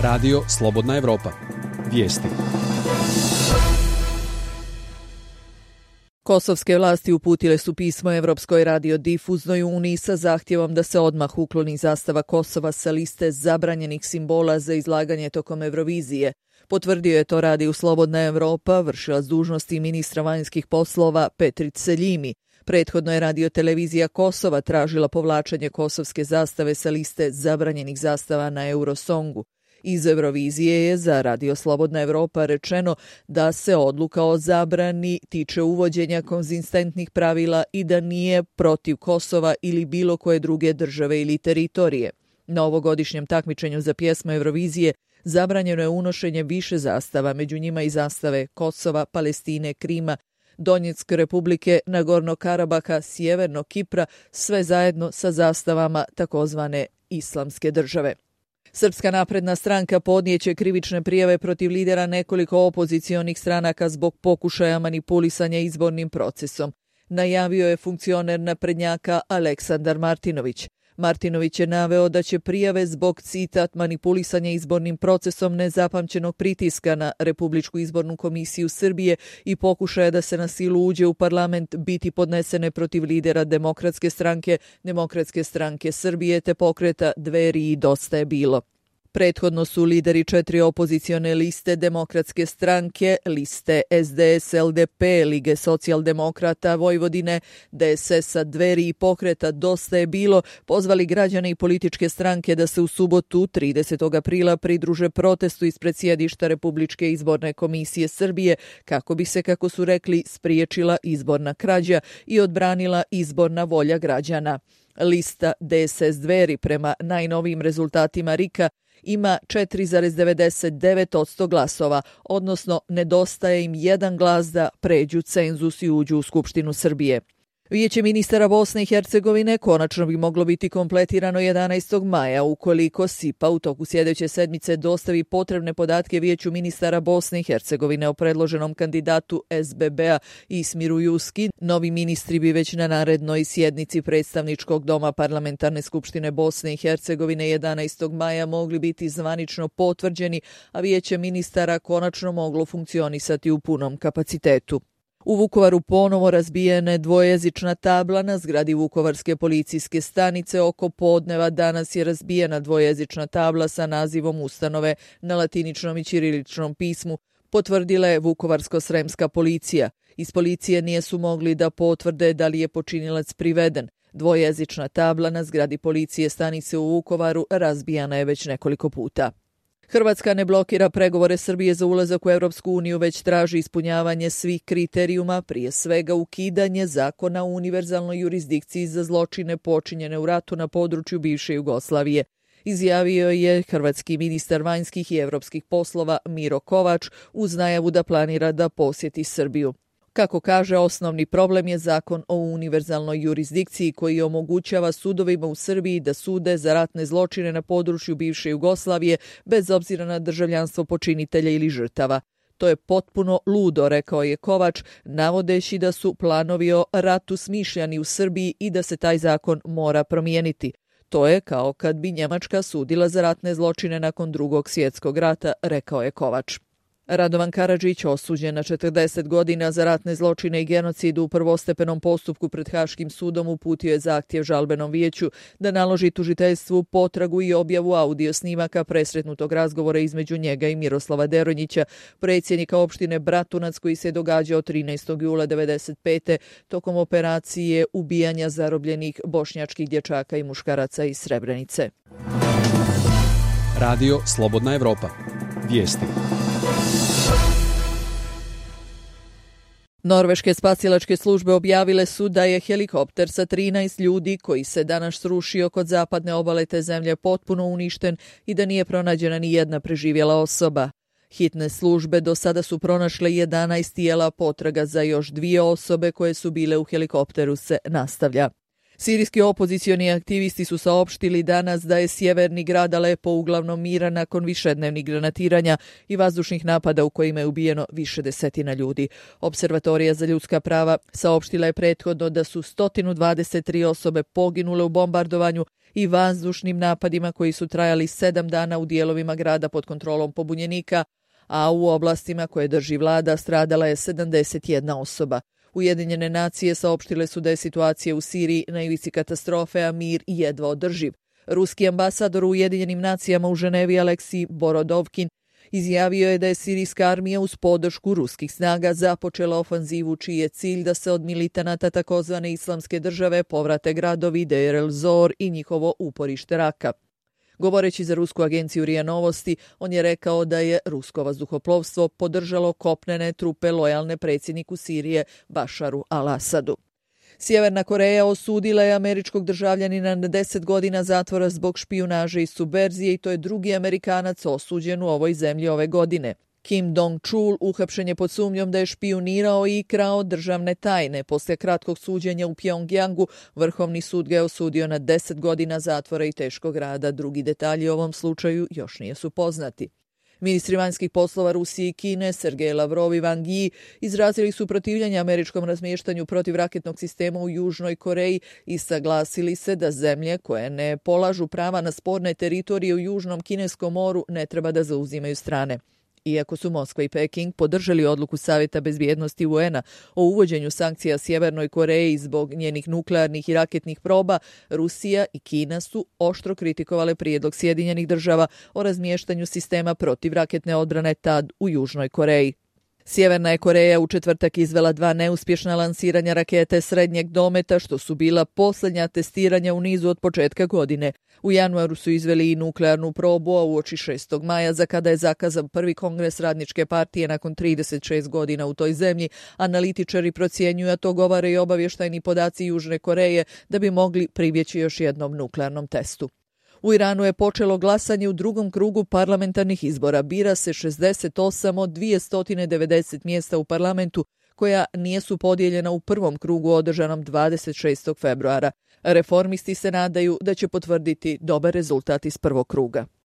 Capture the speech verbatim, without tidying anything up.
Radio Slobodna Evropa. Vijesti. Kosovske vlasti uputile su pismo Evropskoj radiodifuznoj uniji sa zahtjevom da se odmah ukloni zastava Kosova sa liste zabranjenih simbola za izlaganje tokom Eurovizije. Potvrdio je to Radio Slobodna Evropa, vršilac dužnosti ministra vanjskih poslova Petrit Seljimi. Prethodno je radiotelevizija Kosova tražila povlačenje kosovske zastave sa liste zabranjenih zastava na Eurosongu. Iz Eurovizije je za Radio Slobodna Evropa rečeno da se odluka o zabrani tiče uvođenja konzistentnih pravila i da nije protiv Kosova ili bilo koje druge države ili teritorije. Na ovogodišnjem takmičenju za pjesmu Eurovizije zabranjeno je unošenje više zastava, među njima i zastave Kosova, Palestine, Krima, Donjetske republike, Nagorno Karabaha, Sjevernog Kipra, sve zajedno sa zastavama takozvane islamske države. Srpska napredna stranka podnijeće krivične prijave protiv lidera nekoliko opozicionih stranaka zbog pokušaja manipulisanja izbornim procesom, najavio je funkcioner naprednjaka Aleksandar Martinović. Martinović je naveo da će prijave zbog, citat, manipulisanja izbornim procesom nezapamćenog pritiska na Republičku izbornu komisiju Srbije i pokušaja da se na silu uđe u parlament biti podnesene protiv lidera Demokratske stranke, Demokratske stranke Srbije te pokreta Dveri i Dosta je bilo. Prethodno su lideri četiri opozicione liste Demokratske stranke, liste S D S L D P, Lige socijaldemokrata Vojvodine, D S S-a, Dveri i pokreta Dosta je bilo, pozvali građane i političke stranke da se u subotu tridesetog aprila pridruže protestu ispred sjedišta Republičke izborne komisije Srbije kako bi se, kako su rekli, spriječila izborna krađa i odbranila izborna volja građana. Lista D S S Dveri prema najnovijim rezultatima R I K-a ima četiri zarez devedeset devet posto glasova, odnosno nedostaje im jedan glas da pređu cenzus i uđu u Skupštinu Srbije. Vijeće ministara Bosne i Hercegovine konačno bi moglo biti kompletirano jedanaestog maja ukoliko S I P A u toku sljedeće sedmice dostavi potrebne podatke Vijeću ministara Bosne i Hercegovine o predloženom kandidatu S B B-a Ismiru Juski. Novi ministri bi već na narednoj sjednici predstavničkog doma Parlamentarne skupštine Bosne i Hercegovine jedanaestog maja mogli biti zvanično potvrđeni, a Vijeće ministara konačno moglo funkcionisati u punom kapacitetu. U Vukovaru ponovo razbijena je dvojezična tabla na zgradi Vukovarske policijske stanice. Oko podneva danas je razbijena dvojezična tabla sa nazivom ustanove na latiničnom i ćiriličnom pismu, potvrdila je Vukovarsko-sremska policija. Iz policije nisu mogli da potvrde da li je počinilac priveden. Dvojezična tabla na zgradi policije stanice u Vukovaru razbijana je već nekoliko puta. Hrvatska ne blokira pregovore Srbije za ulazak u Europsku uniju, već traži ispunjavanje svih kriterijuma, prije svega ukidanje zakona o univerzalnoj jurisdikciji za zločine počinjene u ratu na području bivše Jugoslavije. Izjavio je hrvatski ministar vanjskih i europskih poslova Miro Kovač uz najavu da planira da posjeti Srbiju. Kako kaže, osnovni problem je zakon o univerzalnoj jurisdikciji koji omogućava sudovima u Srbiji da sude za ratne zločine na području bivše Jugoslavije bez obzira na državljanstvo počinitelja ili žrtava. To je potpuno ludo, rekao je Kovač, navodeći da su planovi o ratu smišljani u Srbiji i da se taj zakon mora promijeniti. To je kao kad bi Njemačka sudila za ratne zločine nakon Drugog svjetskog rata, rekao je Kovač. Radovan Karadžić, osuđen na četrdeset godina za ratne zločine i genocid u prvostepenom postupku pred Haškim sudom, uputio je zahtjev žalbenom vijeću da naloži tužiteljstvu potragu i objavu audio snimaka presretnutog razgovora između njega i Miroslava Deronjića, predsjednika opštine Bratunac, koji se događao trinaestog jula devedeset pete tokom operacije ubijanja zarobljenih bošnjačkih dječaka i muškaraca iz Srebrenice. Radio Slobodna Evropa. Vijesti. Norveške spasilačke službe objavile su da je helikopter sa trinaest ljudi koji se danas srušio kod zapadne obale te zemlje potpuno uništen i da nije pronađena ni jedna preživjela osoba. Hitne službe do sada su pronašle jedanaest tijela, potraga za još dvije osobe koje su bile u helikopteru se nastavlja. Sirijski opozicioni aktivisti su saopštili danas da je sjeverni grad Alepo uglavnom miran nakon višednevnih granatiranja i vazdušnih napada u kojima je ubijeno više desetina ljudi. Observatorija za ljudska prava saopštila je prethodno da su sto dvadeset tri osobe poginule u bombardovanju i vazdušnim napadima koji su trajali sedam dana u dijelovima grada pod kontrolom pobunjenika, a u oblastima koje drži vlada stradala je sedamdeset jedna osoba. Ujedinjene nacije saopštile su da je situacija u Siriji na ivici katastrofe, a mir jedva održiv. Ruski ambasador u Ujedinjenim nacijama u Ženevi Aleksij Borodovkin izjavio je da je sirijska armija uz podršku ruskih snaga započela ofanzivu čiji je cilj da se od militanata takozvane islamske države povrate gradovi Deir el-Zor i njihovo uporište Raka. Govoreći za rusku agenciju R I A Novosti, on je rekao da je rusko vazduhoplovstvo podržalo kopnene trupe lojalne predsjedniku Sirije Bašaru al-Asadu. Sjeverna Koreja osudila je američkog državljanina na deset godina zatvora zbog špijunaže i subverzije i to je drugi Amerikanac osuđen u ovoj zemlji ove godine. Kim Dong-chul uhapšen je pod sumnjom da je špijunirao i krao državne tajne. Poslije kratkog suđenja u Pjongjangu, Vrhovni sud ga je osudio na deset godina zatvora i teškog rada. Drugi detalji o ovom slučaju još nisu poznati. Ministri vanjskih poslova Rusije i Kine, Sergej Lavrov i Wang Yi, izrazili su protivljenje američkom razmještanju protivraketnog sistema u Južnoj Koreji i saglasili se da zemlje koje ne polažu prava na sporne teritorije u Južnom Kineskom moru ne treba da zauzimaju strane. Iako su Moskva i Peking podržali odluku Savjeta bezbjednosti U N-a o uvođenju sankcija Sjevernoj Koreji zbog njenih nuklearnih i raketnih proba, Rusija i Kina su oštro kritikovale prijedlog Sjedinjenih država o razmještanju sistema protivraketne odbrane tad u Južnoj Koreji. Sjeverna je Koreja u četvrtak izvela dva neuspješna lansiranja rakete srednjeg dometa, što su bila posljednja testiranja u nizu od početka godine. U januaru su izveli i nuklearnu probu, a uoči šestog maja, za kada je zakazan prvi kongres Radničke partije nakon trideset šest godina u toj zemlji, analitičari procjenjuju, a to govore i obavještajni podaci Južne Koreje, da bi mogli pribjeći još jednom nuklearnom testu. U Iranu je počelo glasanje u drugom krugu parlamentarnih izbora. Bira se šezdeset osam od dvjesto devedeset mjesta u parlamentu koja nisu podijeljena u prvom krugu održanom dvadeset šestog februara. Reformisti se nadaju da će potvrditi dobar rezultat iz prvog kruga.